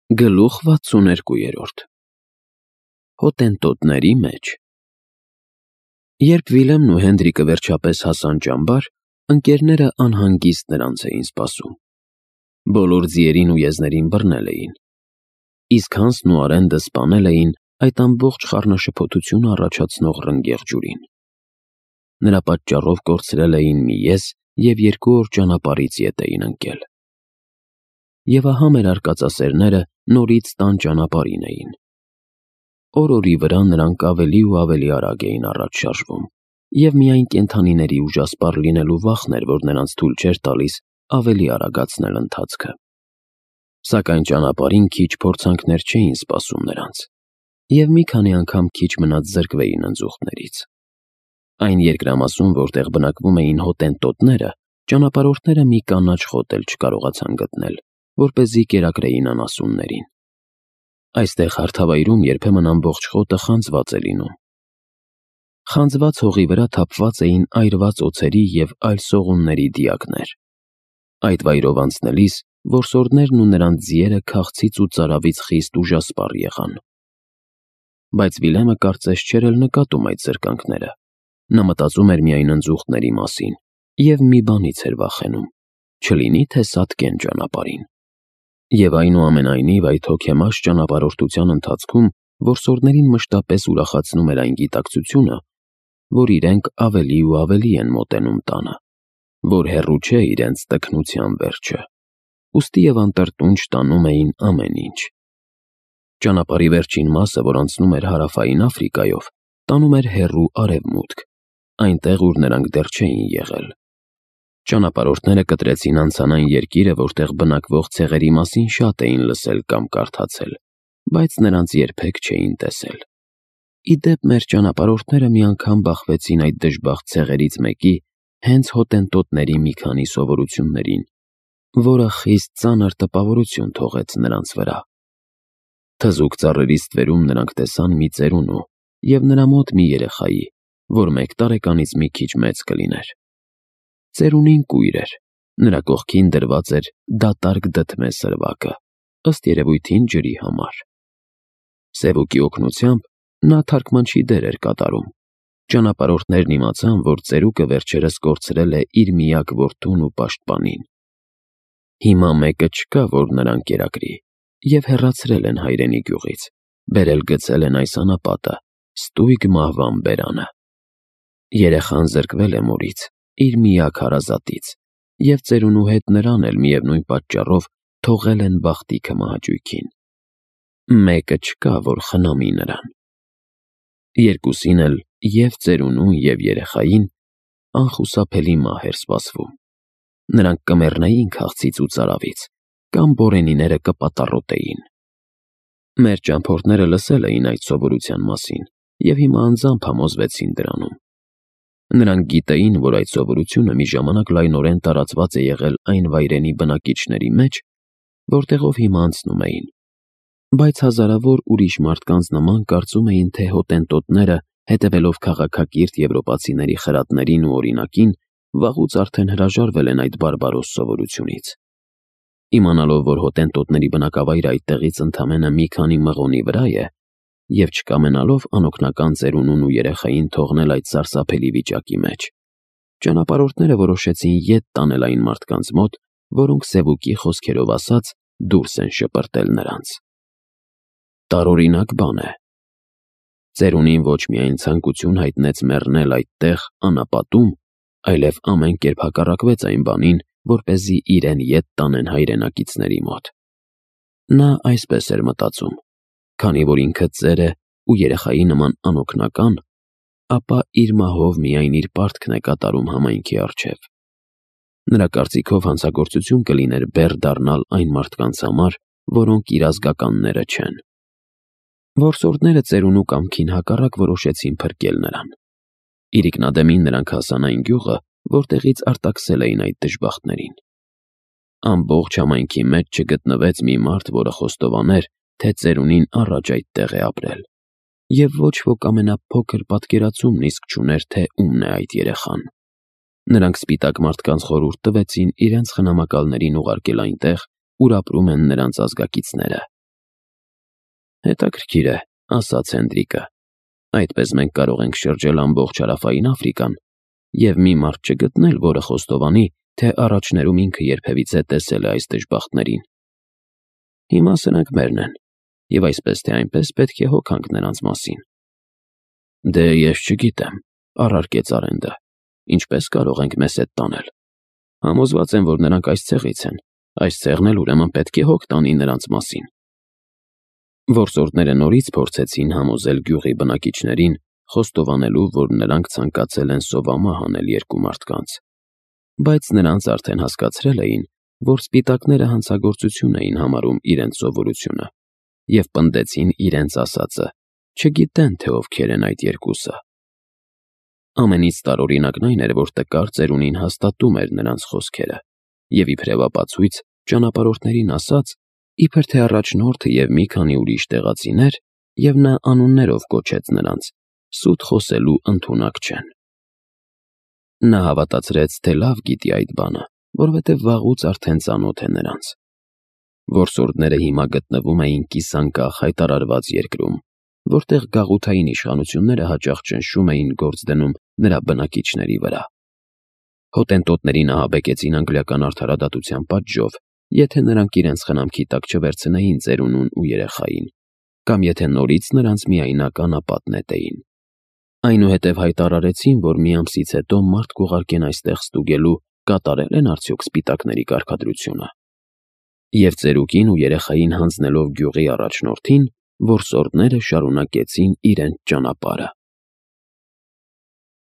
Գլուխ 62 Հոտենտոտների մեջ Երբ Վիլեմն ու Հենրիկը վերջապես հասան ճամբար, ընկերները անհանգիստ նրանց էին սպասում։ Բոլոր ձիերին ու եզներին բռնել էին, իսկ Հանսն ու Արենդը սպանել էին այդ ամբողջ խառնաշփոթությունը առաջացնող ռնգեղ ջուրին։ Նրա պատճառով կորցրել էին մի եզ և 2 օր ճանապարհից ետ էին ընկել։ Եվ ահա մեր արկածասերները նորից տան ճանապարհին էին։ Օր-օրի վրա նրանք ավելի ու ավելի արագ էին առաջ շարժվում, և միայն կենդանիների ուժասպառ լինելու վախն էր, որ նրանց թույլ չէր տալիս ավելի արագացնել ընթացքը։ Սակայն ճանապարհին քիչ փորձանքներ չէին սպասում նրանց, և մի քանի անգամ քիչ մնաց զրկվեին ընձուղտներից։ Այն երկրամասում, որտեղ բնակվում էին հոտենտոտները, ճանապարհորդները մի կանաչ խոտ էլ չկարողացան գտնել, որպեսզի կերակրեին անասուններին։ Այստեղ հարթավայրում երբեմն ամբողջ խոտը խանձված է լինում։ Խանձված հողի վրա թափված էին այրված օձերի և այլ սողունների դիակներ։ Այդ վայրով անցնելիս որսորդներն ու նրանց ձիերը քաղցից ու ծարավից խիստ ուժասպառ եղան։ Բայց Վիլեմը կարծես չէր էլ նկատում այդ զրկանքները։ Նա մտածում էր միայն ընձուղտների մասին և մի բանից էր վախենում՝ չլինի թե սատկեն ճանապարհին։ Եվ այնուամենայնիվ այդ հոգեմաշ ճանապարհորդության ընթացքում որսորդներին մշտապես ուրախացնում էր այն գիտակցությունը, որ իրենք ավելի ու ավելի են մոտենում տանը, որ հեռու չէ իրենց տքնության վերջը, ուստի և անտրտունջ տանում էին ամեն ինչ։ Ճանապարհի վերջին մասը, որ անցնում էր Հարավային Աֆրիկայով, տանում էր հեռու արևմուտք, այնտեղ, ուր նրանք դեռ չէին եղել։ Ճանապարհորդները կտրեցին անցան այն երկիրը, որտեղ բնակվող ցեղերի մասին շատ էին լսել կամ կարդացել, բայց նրանց երբեք չէին տեսել։ Ի դեպ, մեր ճանապարհորդները մի անգամ բախվեցին այդ դժբախտ ցեղերից մեկի հենց հոտենտոտների մի քանի սովորություններին, որը խիստ ծանր տպավորություն թողեց նրանց վրա։ Թզուկ ծառերի ստվերում նրանք տեսան մի ծերունու և նրա մոտ մի երեխայի, որ 1 տարեկանից մի քիչ մեծ կլիներ։ Ծերունին կույր էր, նրա կողքին դրված էր դատարկ դդմե սրվակը, ըստ երևույթին ջրի համար։ Սևուկի օգնությամբ նա թարգմանչի դեր էր կատարում։ Ճանապարհորդներն իմացան, որ ծերուկը վերջերս կորցրել է իր միակ որդուն ու պաշտպանին։ Հիմա մեկը չկա, որ նրան կերակրի, և հեռացրել են հայրենի գյուղից, բերել գցել են այս անապատը, ստույգ մահվան բերանը։ Երեխան զրկվել է մորից, իր միակ հարազատից, և ծերունու հետ նրան էլ միևնույն պատճառով թողել են բախտի քմահաճույքին։ Մեկը չկա, որ խնամի նրան։ Երկուսին էլ, և ծերունուն, և երեխային, անխուսափելի մահ էր սպասվում։ Նրանք կմեռնեին քաղցից ու ծարավից, կամ բորենիները կպատառոտեին։ Մեր ճամփորդները լսել էին այդ սովորության մասին և հիմա անձամբ համոզվեցին դրանում։ Նրանք գիտեին, որ այդ սովորությունը մի ժամանակ լայնորեն տարածված է եղել այն վայրենի բնակիչների մեջ, որտեղով հիմա անցնում էին, բայց հազարավոր ուրիշ մարդկանց նման կարծում էին, թե հոտենտոտները, հետևելով քաղաքակիրթ եվրոպացիների խրատներին ու օրինակին, վաղուց արդեն հրաժարվել են այդ բարբարոս սովորությունից։ Իմանալով, որ հոտենտոտների բնակավայրը այդտեղից ընդամենը մի քանի մղոնի վրա է, և չկամենալով անօգնական ծերունուն ու երեխային թողնել այդ սարսափելի վիճակի մեջ, ճանապարհորդները որոշեցին ետ տանել այն մարդկանց մոտ, որոնք սևուկի խոսքերով ասած դուրս են շպրտել նրանց։ Տարօրինակ բան է։ Ծերունին ոչ միայն ցանկություն հայտնեց մեռնել այդտեղ անապատում, այլև ամեն կերպ հակառակվեց այն բանին, որպեսզի իրեն ետ տանեն հայրենակիցների մոտ։ Նա այսպես էր մտածում. քանի որ ինքը ծեր է ու երեխայի նման անօգնական, ապա իր մահով միայն իր պարտքն է կատարում համայնքի առջև։ Նրա կարծիքով հանցագործություն կլիներ բեռ դառնալ այն մարդկանց համար, որոնք իր ազգականները չեն։ Որսորդները ծերունու կամքին հակառակ որոշեցին փրկել նրան։ Իրիկնադեմին նրանք հասան այն գյուղը, որտեղից արտաքսել էին այդ դժբախտներին։ Ամբողջ համայնքի մեջ չգտնվեց մի մարդ, որը խոստովաներ, թե ծերունին առաջ այդտեղ է ապրել, և ոչ ոք ամենափոքր պատկերացումն իսկ չուներ, թե ումն է այդ երեխան։ Նրանք սպիտակ մարդկանց խորհուրդ տվեցին իրենց խնամակալներին ուղարկել այնտեղ, ուր ապրում են նրանց ազգակիցները, Հետաքրքիր է, ասաց Հենդրիկը։ Այդպես մենք կարող ենք շրջել ամբողջ հարավային Աֆրիկան և մի մարդ չգտնել, որը խոստովանի, թե առաջներում ինքը երբևիցե տեսել է այս դժբախտներին։ Հիմա սրանք մերն են, և այսպես թե այնպես պետք է հոգանք նրանց մասին։ Դե ես չգիտեմ, առարկեց Արենդը, ինչպես կարող ենք մեզ հետ տանել։ Համոզված եմ, որ նրանք այս ցեղից են, այս ցեղն էլ ուրեմն պետք է հոգ տանի նրանց մասին։ Որսորդները նորից փորձեցին համոզել գյուղի բնակիչներին, խոստովանելու, որ նրանք ցանկացել են սովամահ անել երկու մարդկանց, բայց նրանց արդեն հասկացրել էին, որ սպիտակները հանցագործություն էին համարում իրենց սովորությունը, և պնդեցին իրենց ասածը, չգիտեն, թե ովքեր են այդ երկուսը։ Ամենից տարօրինակն այն էր, որ տկար ծերունին հաստատում էր նրանց խոսքերը, և իբրև ապացույց ճանապարհորդներին ասաց, իբր թե առաջնորդը և մի քանի ուրիշ տեղացիներ, և նա անուններով կոչեց նրանց, սուտ խոսելու ընդունակ չեն։ Նա հավատացրեց, թե լավ գիտի այդ բանը, որովհետև վաղուց արդեն ծանոթ է նրանց։ Որսորդները հիմա գտնվում էին կիսանկախ հայտարարված երկրում, որտեղ գաղութային իշխանությունները հաճախ ճնշում էին գործ դնում նրա բնակիչների վրա։ Հոտենտոտներին ահաբեկեցին անգլիական արդարադատության պատժով, եթե նրանք իրենց խնամքի տակ չվերցնեին ծերունուն ու երեխային, կամ եթե նորից նրանց միայնակ անապատ նետեին։ Այնուհետև հայտարարեցին, որ մի ամսից հետո մարդ կուղարկեն այստեղ ստուգելու, կատարել են արդյոք սպիտակների կարգադրությունը։ Եվ ծերուկին ու երեխային հանձնելով գյուղի առաջնորդին, որսորդները շարունակեցին իրենց ճանապարհը։